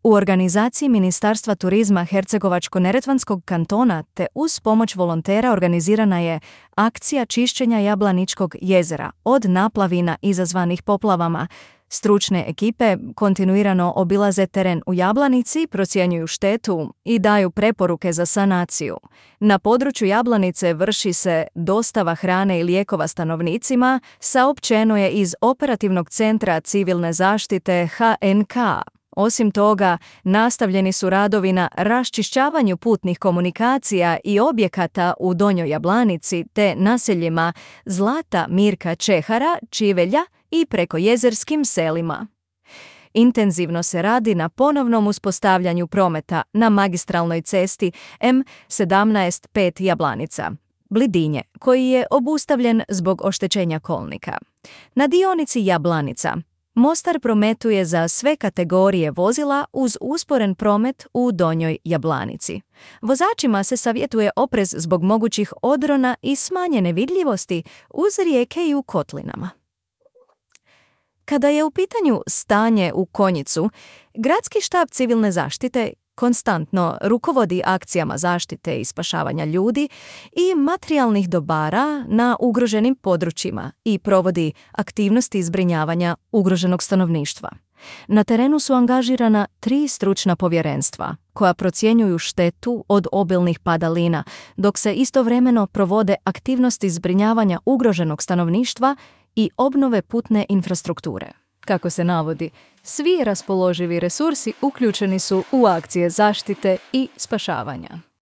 U organizaciji Ministarstva turizma Hercegovačko-neretvanskog kantona te uz pomoć volontera organizirana je akcija čišćenja Jablaničkog jezera od naplavina izazvanih poplavama. Stručne ekipe kontinuirano obilaze teren u Jablanici, procjenjuju štetu i daju preporuke za sanaciju. Na području Jablanice vrši se dostava hrane i lijekova stanovnicima, saopćeno je iz Operativnog centra civilne zaštite HNK. Osim toga, nastavljeni su radovi na raščišćavanju putnih komunikacija i objekata u Donjoj Jablanici te naseljima Zlata Mirka Čehara, Čivelja i prekojezerskim selima. Intenzivno se radi na ponovnom uspostavljanju prometa na magistralnoj cesti M17-5 Jablanica, Blidinje, koji je obustavljen zbog oštećenja kolnika. Na dionici Jablanica Mostar prometuje za sve kategorije vozila uz usporen promet u Donjoj Jablanici. Vozačima se savjetuje oprez zbog mogućih odrona i smanjene vidljivosti uz rijeke i u kotlinama. Kada je u pitanju stanje u Konjicu, Gradski štab civilne zaštite konstantno rukovodi akcijama zaštite i spašavanja ljudi i materijalnih dobara na ugroženim područjima i provodi aktivnosti zbrinjavanja ugroženog stanovništva. Na terenu su angažirana 3 stručna povjerenstva koja procjenjuju štetu od obilnih padalina, dok se istovremeno provode aktivnosti zbrinjavanja ugroženog stanovništva i obnove putne infrastrukture. Kako se navodi, svi raspoloživi resursi uključeni su u akcije zaštite i spašavanja.